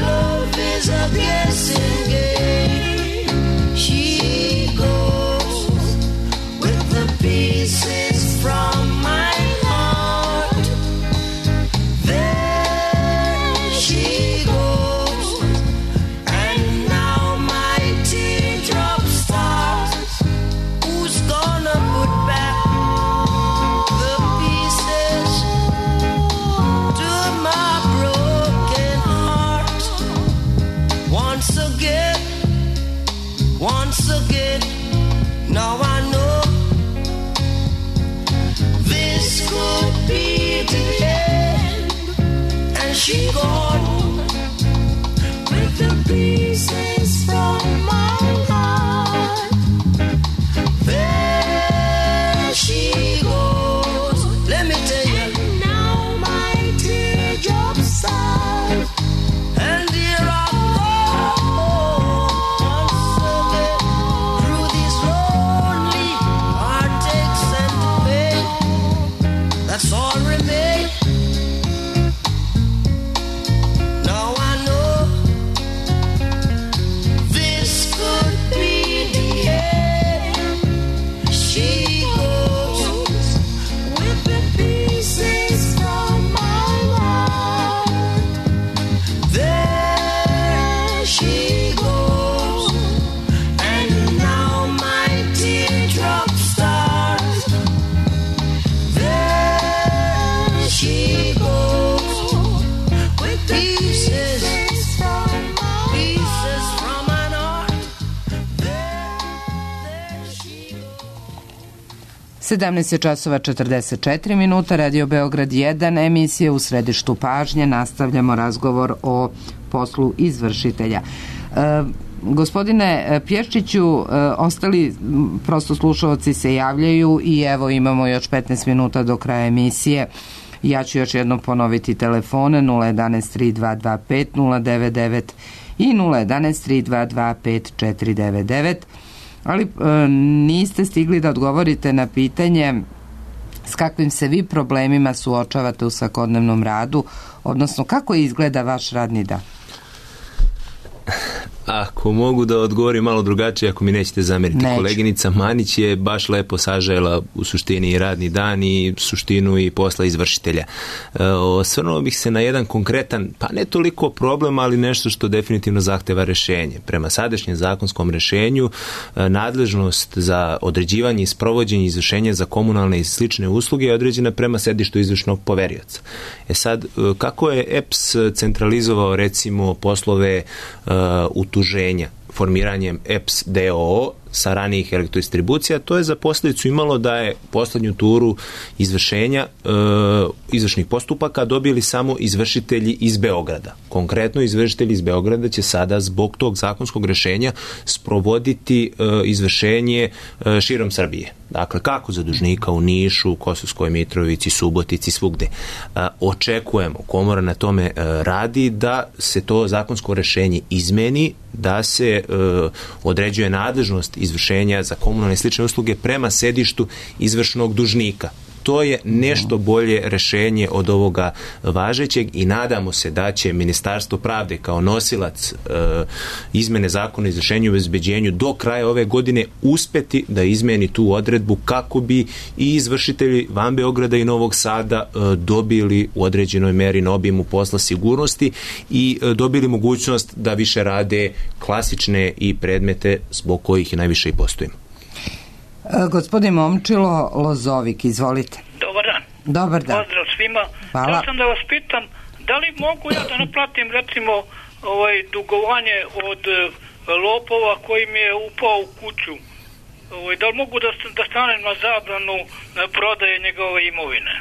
V: love is a guessing game. She goes with the pieces from my heart. There she goes, and now my teardrop starts. Who's gonna put back the pieces to my broken heart? Once again, now I know this could be the end. And she gone with the pieces from my heart. There she goes, let me tell you. And now my teardrops start, and here I go once again through these lonely heartaches and pain. That's all remains. Now I know this could be the end. She goes with the pieces from my heart. There she goes, and now my teardrop starts. There she goes with the pieces from my heart.
A: 17 časova 44 minuta, Radio Beograd 1, emisija U središtu pažnje. Nastavljamo razgovor o poslu izvršitelja. Gospodine Pješčiću, ostali prosto slušalci se javljaju i evo imamo još 15 minuta do kraja emisije. Ja ću još jednom ponoviti telefone 011 3225 099 i 011 3225 499. Ali niste stigli da odgovorite na pitanje s kakvim se vi problemima suočavate u svakodnevnom radu, odnosno kako izgleda vaš radni dan?
C: Ako mogu da odgovorim malo drugačije, ako mi nećete zameriti.
A: Neću.
C: Koleginica Manić je baš lepo sažela u suštini i radni dan i suštinu i posla izvršitelja. Osvrnuo bih se na jedan konkretan, pa ne toliko problem, ali nešto što definitivno zahteva rešenje. Prema sadašnjem zakonskom rešenju, nadležnost za određivanje i sprovođenje izvršenja za komunalne i slične usluge je određena prema sedištu izvršnog poverioca. Sad, kako je EPS centralizovao recimo poslove utuženja formiranjem EPS DOO sa ranijih elektrodistribucija, to je za posljedicu imalo da je poslednju turu izvršenja izvršnih postupaka dobili samo izvršitelji iz Beograda. Konkretno izvršitelji iz Beograda će sada zbog tog zakonskog rešenja sprovoditi izvršenje širom Srbije. Dakle, kako za dužnika u Nišu, Kosovskoj Mitrovici, Subotici, svugde. Očekujemo, komora na tome radi, da se to zakonsko rešenje izmeni, da se određuje nadležnost izvršenja za komunalne i slične usluge prema sedištu izvršnog dužnika. To je nešto bolje rešenje od ovoga važećeg i nadamo se da će Ministarstvo pravde kao nosilac izmene zakona o izvršenju i obezbeđenju do kraja ove godine uspeti da izmeni tu odredbu kako bi i izvršitelji van Beograda i Novog Sada dobili u određenoj meri na obimu posla sigurnosti i dobili mogućnost da više rade klasične i predmete zbog kojih je najviše i postojimo.
A: Gospodin Momčilo Lozovik, izvolite.
D: Dobar dan.
A: Dobar dan.
D: Pozdrav svima.
A: Hvala.
D: Ja sam da vas pitam, da li mogu ja da naplatim recimo dugovanje od lopova koji mi je upao u kuću? Da li mogu da stanem na zabranu prodaje njegove imovine?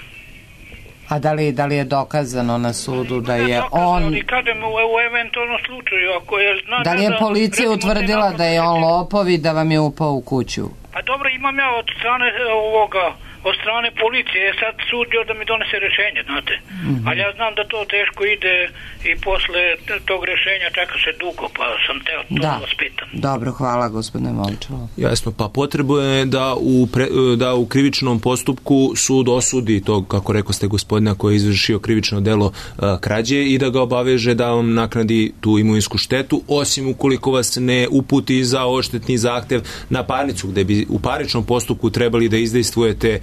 A: A da li je dokazano na sudu da je on...
D: Kažem, u eventualnom slučaju, ako je...
A: Da li je policija utvrdila da je on lopov i da vam je upao u kuću?
D: Pa dobro, imam ja od strane policije, sad sud još da mi donese rešenje, znate. Ali ja znam da to teško ide i posle tog rešenja čeka se dugo, pa sam teo to vas pitam.
A: Dobro, hvala gospodine Momčilo.
C: Jasno, pa potrebno je da u krivičnom postupku sud osudi tog, kako rekao ste, gospodina koji je izvršio krivično delo krađe i da ga obaveže da vam naknadi tu imovinsku štetu, osim ukoliko vas ne uputi za odštetni zahtev na parnicu, gde bi u parničnom postupku trebali da izdejstvujete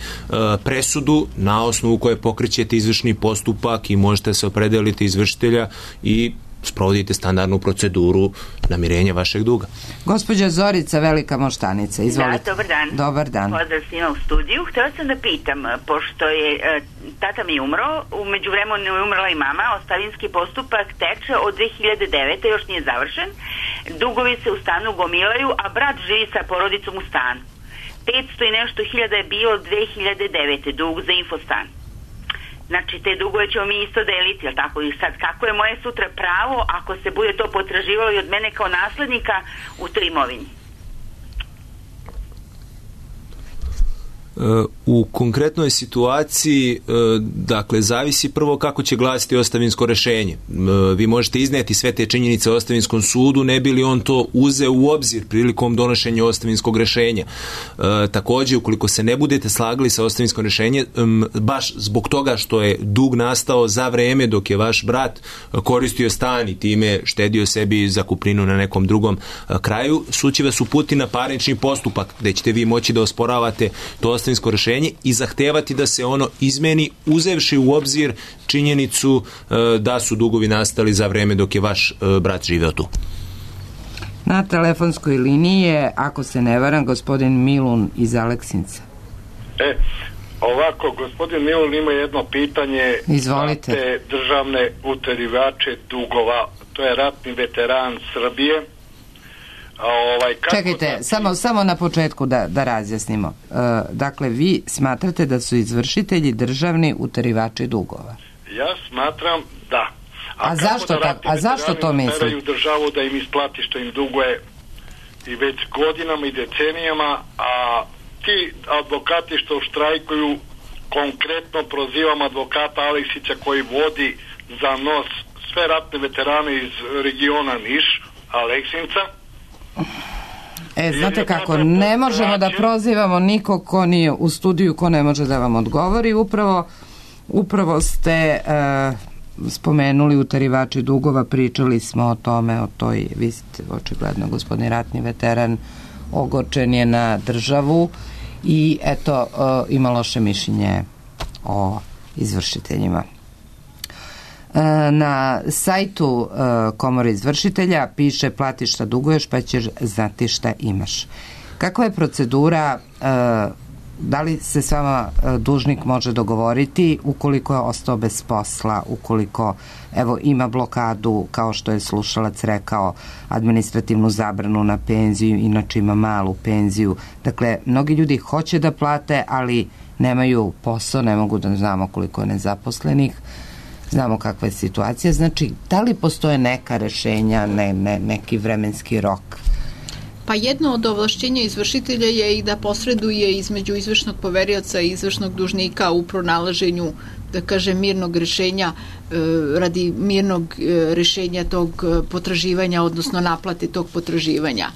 C: presudu na osnovu koje pokrećete izvršni postupak i možete se opredeliti izvršitelja i sprovodite standardnu proceduru namirenja vašeg duga.
A: Gospođa Zorica, Velika Moštanica, izvolite.
E: Da, dobar dan.
A: Dobar dan.
E: Pozdrav svima u studiju. Htela sam da pitam, pošto je tata mi umro, u međuvremenu je umrla i mama, ostavinski postupak teče od 2009. još nije završen, dugovi se u stanu gomilaju, a brat živi sa porodicom u stanu. 500 i nešto hiljada je bilo 2009. dug za infostan. Znači, te dugove ćemo mi isto deliti, jel tako? I sad, kako je moje sutra pravo ako se bude to potraživalo i od mene kao naslednika u toj imovini?
C: U konkretnoj situaciji, dakle, zavisi prvo kako će glasiti ostavinsko rešenje. Vi možete izneti sve te činjenice o ostavinskom sudu, ne bi li on to uzeo u obzir prilikom donošenja ostavinskog rešenja. Također, ukoliko se ne budete slagali sa ostavinskom rešenjem, baš zbog toga što je dug nastao za vreme dok je vaš brat koristio stan i time štedio sebi zakupninu na nekom drugom kraju, sud će vas uputi na parnični postupak, gde ćete vi moći da osporavate to ostavinsko rešenje i zahtevati da se ono izmeni, uzevši u obzir činjenicu da su dugovi nastali za vreme dok je vaš brat živeo tu.
A: Na telefonskoj liniji je, ako se ne varam, gospodin Milun iz Aleksinca.
W: Ovako, gospodin Milun ima jedno pitanje.
A: Izvolite.
W: Za te državne uterivače dugova, to je ratni veteran Srbije.
A: Čekajte, samo na početku da razjasnimo. Dakle, vi smatrate da su izvršitelji državni uterivači dugova?
W: Ja smatram da.
A: A zašto to mislite?
W: Teraju državu da im isplati što im duguje i već godinama i decenijama, a ti advokati što štrajkuju, konkretno prozivam advokata Aleksića koji vodi za nos sve ratne veterane iz regiona Niš, Aleksinca.
A: Znate kako, ne možemo da prozivamo nikog ko nije u studiju, ko ne može da vam odgovori. Upravo ste spomenuli utarivači dugova, pričali smo o tome, o toj, vi ste očigledno gospodin ratni veteran, ogorčen je na državu i eto ima loše mišljenje o izvršiteljima. Na sajtu Komore izvršitelja piše platiš šta duguješ pa ćeš znati šta imaš. Kakva je procedura, da li se s vama dužnik može dogovoriti ukoliko je ostao bez posla, ukoliko evo ima blokadu, kao što je slušalac rekao, administrativnu zabranu na penziju, inače ima malu penziju. Dakle, mnogi ljudi hoće da plate, ali nemaju posao, ne mogu da znamo koliko je nezaposlenih, znamo kakva je situacija. Znači, da li postoje neka rešenja, neki vremenski rok?
B: Pa jedno od ovlašćenja izvršitelja je i da posreduje između izvršnog poverioca i izvršnog dužnika u pronalaženju, da kažem, mirnog rešenja, radi mirnog rešenja tog potraživanja, odnosno naplate tog potraživanja.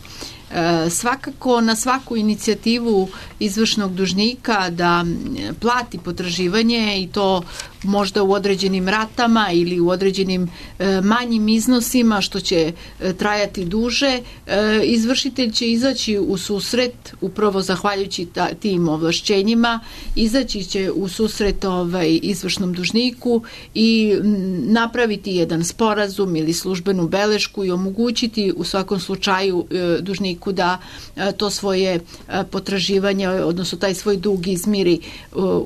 B: Svakako na svaku inicijativu izvršnog dužnika da plati potraživanje, i to možda u određenim ratama ili u određenim manjim iznosima što će trajati duže, izvršitelj će izaći u susret, upravo zahvaljujući tim ovlašćenjima, izaći će u susret izvršnom dužniku i napraviti jedan sporazum ili službenu belešku i omogućiti u svakom slučaju dužniku da to svoje potraživanje, odnosno taj svoj dug izmiri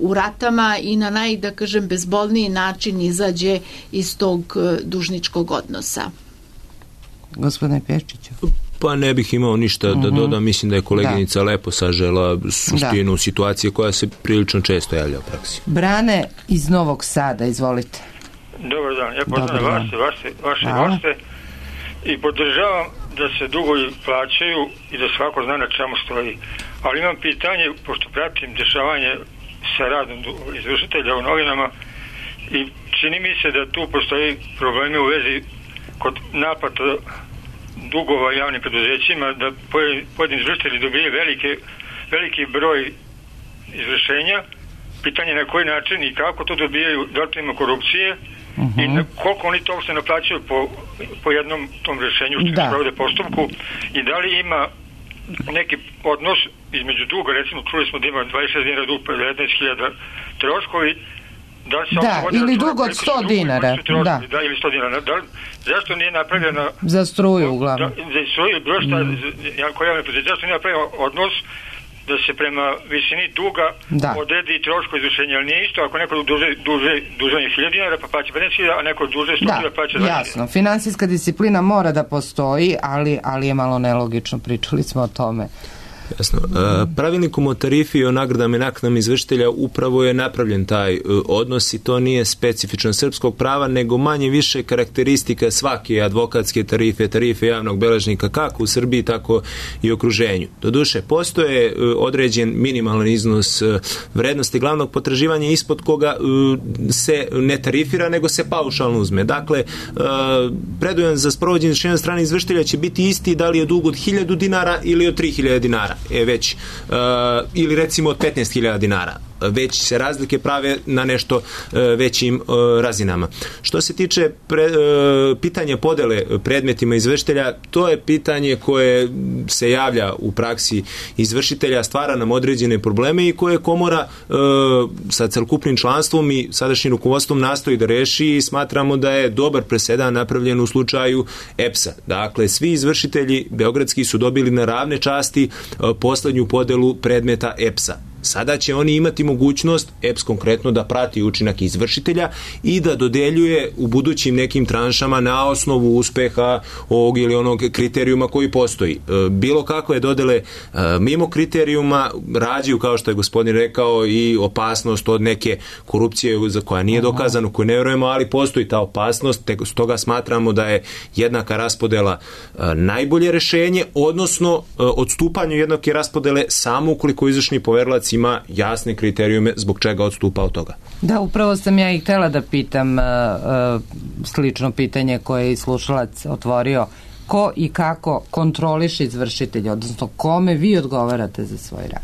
B: u ratama i na da kažem, bezbolniji način izađe iz tog dužničkog odnosa.
A: Gospodine Pječiću.
C: Pa ne bih imao ništa da dodam, mislim da je koleginica lepo sažela suštinu situacije koja se prilično često javlja u praksi.
A: Brane iz Novog Sada, izvolite.
F: Dobar dan, ja pozdravljam vaše goste i podržavam da se dugovi plaćaju i da svako zna na čemu stoji. Ali imam pitanje, pošto pratim dešavanje sa radom izvršitelja u novinama i čini mi se da tu postoji problemi u vezi kod naplata dugova javnim preduzećima, da pojedini izvršitelji dobije veliki broj izvršenja. Pitanje na koji način i kako to dobijaju, da li to ima korupcije i koliko oni to se naplaćaju po jednom tom rješenju što se provode postupku i da li ima neki odnos između duga, recimo čuli smo da ima 26 dinara dug, 19.000 troškovi,
A: ili dug od 100 dinara.
F: Da, ili 100 dinara. Zašto nije napravljena
A: za struju uglavnom?
F: Za struju, bilo šta, zašto nije napravljena odnos da se prema visini duga odredi troško izvršenja, ali nije isto ako neko duže 1.000 dinara pa plaća 15.000, a neko duže 100 dinara plaća 20.000.
A: Jasno, finansijska disciplina mora da postoji, ali je malo nelogično, pričali smo o tome.
C: Jasno. Pravilnikom o tarifi i o nagradama i naknadama izvršitelja upravo je napravljen taj odnos i to nije specifično srpskog prava, nego manje više karakteristika svake advokatske tarife javnog beležnika, kako u Srbiji, tako i u okruženju. Doduše, postoje određen minimalan iznos vrednosti glavnog potraživanja ispod koga se ne tarifira, nego se paušalno uzme. Dakle, predujam za sprovođenje rješenja od strane izvršitelja će biti isti da li je dug od 1.000 dinara ili od 3.000 dinara. Već, ili recimo od 15.000 dinara. Već se razlike prave na nešto većim razinama. Što se tiče pitanja podele predmetima izvršitelja, to je pitanje koje se javlja u praksi izvršitelja, stvara nam određene probleme i koje komora sa celokupnim članstvom i sadašnjim rukovodstvom nastoji da reši i smatramo da je dobar presedan napravljen u slučaju EPS-a. Dakle, svi izvršitelji beogradski su dobili na ravne časti poslednju podelu predmeta EPS-a. Sada će oni imati mogućnost, EPS konkretno, da prati učinak izvršitelja i da dodeljuje u budućim nekim tranšama na osnovu uspeha ovog ili onog kriterijuma koji postoji. Bilo kakve dodele mimo kriterijuma rađaju, kao što je gospodin rekao, i opasnost od neke korupcije za koja nije dokazano, koju ne vjerujemo, ali postoji ta opasnost, te stoga smatramo da je jednaka raspodela najbolje rešenje, odnosno odstupanje jednake raspodele samo ukoliko izvršni poverilac ima jasne kriterijume zbog čega odstupa od toga.
A: Da, upravo sam ja i htjela da pitam slično pitanje koje je i slušalac otvorio. Ko i kako kontroliše izvršitelje, odnosno kome vi odgovarate za svoj rad?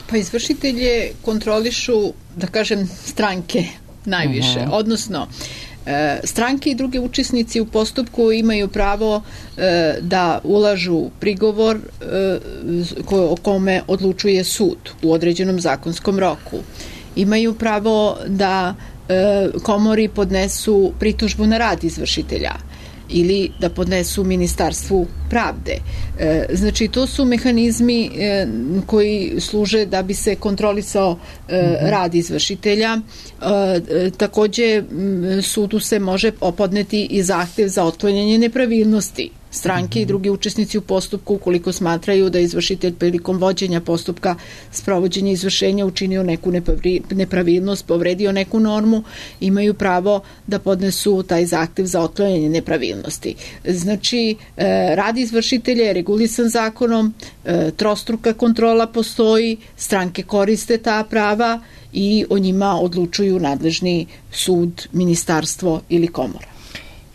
B: Pa izvršitelje kontrolišu, da kažem, stranke najviše. Odnosno, Stranke i drugi učesnici u postupku imaju pravo da ulažu prigovor o kome odlučuje sud u određenom zakonskom roku. Imaju pravo da komori podnesu pritužbu na rad izvršitelja ili da podnesu Ministarstvu pravde. Znači, to su mehanizmi koji služe da bi se kontrolisao rad izvršitelja. Takođe, sudu se može podneti i zahtev za otklanjanje nepravilnosti. Stranke i drugi učesnici u postupku, ukoliko smatraju da izvršitelj prilikom vođenja postupka sprovođenja izvršenja učinio neku nepravilnost, povredio neku normu, imaju pravo da podnesu taj zahtev za otklanjanje nepravilnosti. Znači, rad izvršitelja je regulisan zakonom, trostruka kontrola postoji, stranke koriste ta prava i o njima odlučuju nadležni sud, ministarstvo ili komora.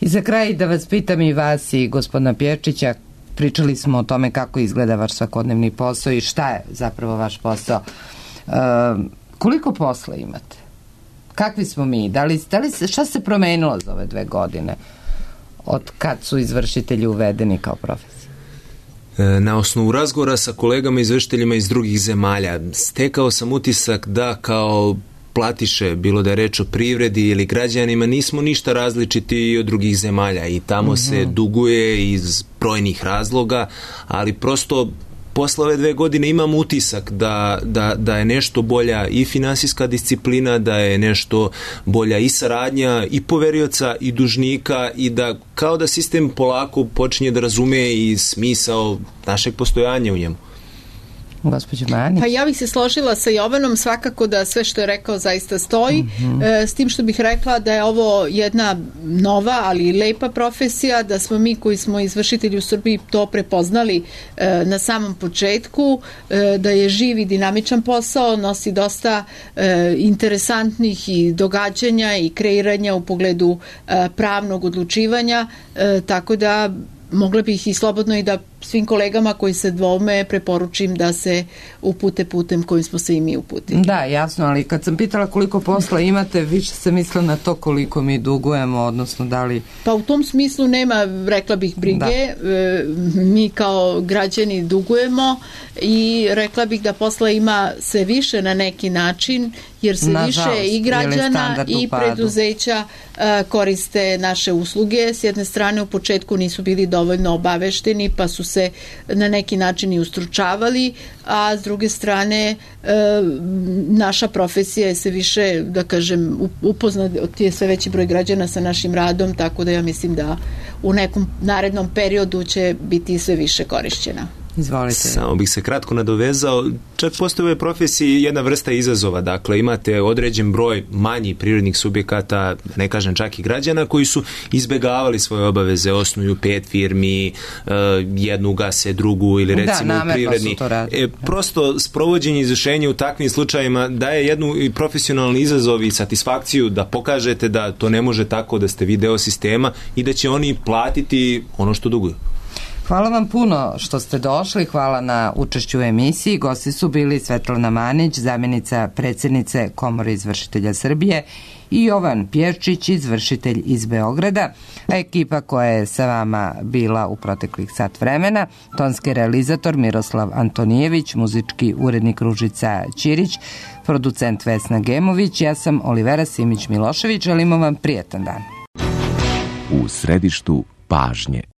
A: I za kraj da vas pitam i vas i gospodina Pjevčića, pričali smo o tome kako izgleda vaš svakodnevni posao i šta je zapravo vaš posao. Koliko posla imate? Kakvi smo mi? Šta se promenilo za ove 2 godine od kad su izvršitelji uvedeni kao profesija?
C: Na osnovu razgovora sa kolegama izvršiteljima iz drugih zemalja stekao sam utisak da kao platiše, bilo da je reč o privredi ili građanima, nismo ništa različiti od drugih zemalja i tamo se duguje iz brojnih razloga, ali prosto posle ove 2 godine imam utisak da je nešto bolja i finansijska disciplina, da je nešto bolja i saradnja i poverioca i dužnika i da kao da sistem polako počinje da razume i smisao našeg postojanja u njemu.
A: Gospođo Manić.
B: Pa ja bih se složila sa Jovanom, svakako da sve što je rekao zaista stoji, s tim što bih rekla da je ovo jedna nova, ali lepa profesija, da smo mi koji smo izvršitelji u Srbiji to prepoznali na samom početku, da je živ i dinamičan posao, nosi dosta interesantnih i događanja i kreiranja u pogledu pravnog odlučivanja, tako da mogla bih i slobodno i da svim kolegama koji se dvoume preporučim da se upute putem kojim smo se i mi uputili.
A: Da, jasno, ali kad sam pitala koliko posla imate, više se mislila na to koliko mi dugujemo, odnosno da li...
B: Pa u tom smislu nema, rekla bih, brige. Mi kao građani dugujemo i rekla bih da posla ima sve više na neki način, jer se više i građana i preduzeća koriste naše usluge. S jedne strane u početku nisu bili dovoljno obavešteni, pa su se na neki način i ustručavali, a s druge strane naša profesija je sve više, da kažem, upoznat je sve veći broj građana sa našim radom, tako da ja mislim da u nekom narednom periodu će biti sve više korišćena.
A: Izvolite.
C: Samo bih se kratko nadovezao, čak postoje u ovoj profesiji jedna vrsta izazova, dakle imate određen broj manjih privrednih subjekata, ne kažem čak i građana, koji su izbegavali svoje obaveze, osnuju 5 firmi, jednu gase, drugu ili recimo privredni. Prosto sprovođenje izvršenja u takvim slučajima daje jednu profesionalni izazov i satisfakciju da pokažete da to ne može tako, da ste vi deo sistema i da će oni platiti ono što duguju.
A: Hvala vam puno što ste došli, hvala na učešću u emisiji. Gosti su bili Svetlana Manić, zamjenica predsjednice Komore izvršitelja Srbije, i Jovan Pjevčić, izvršitelj iz Beograda, a ekipa koja je sa vama bila u proteklih sat vremena: tonski realizator Miroslav Antonijević, muzički urednik Ružica Ćirić, producent Vesna Gemović, ja sam Olivera Simić Milošević, želimo vam prijetan dan.
G: U središtu pažnje.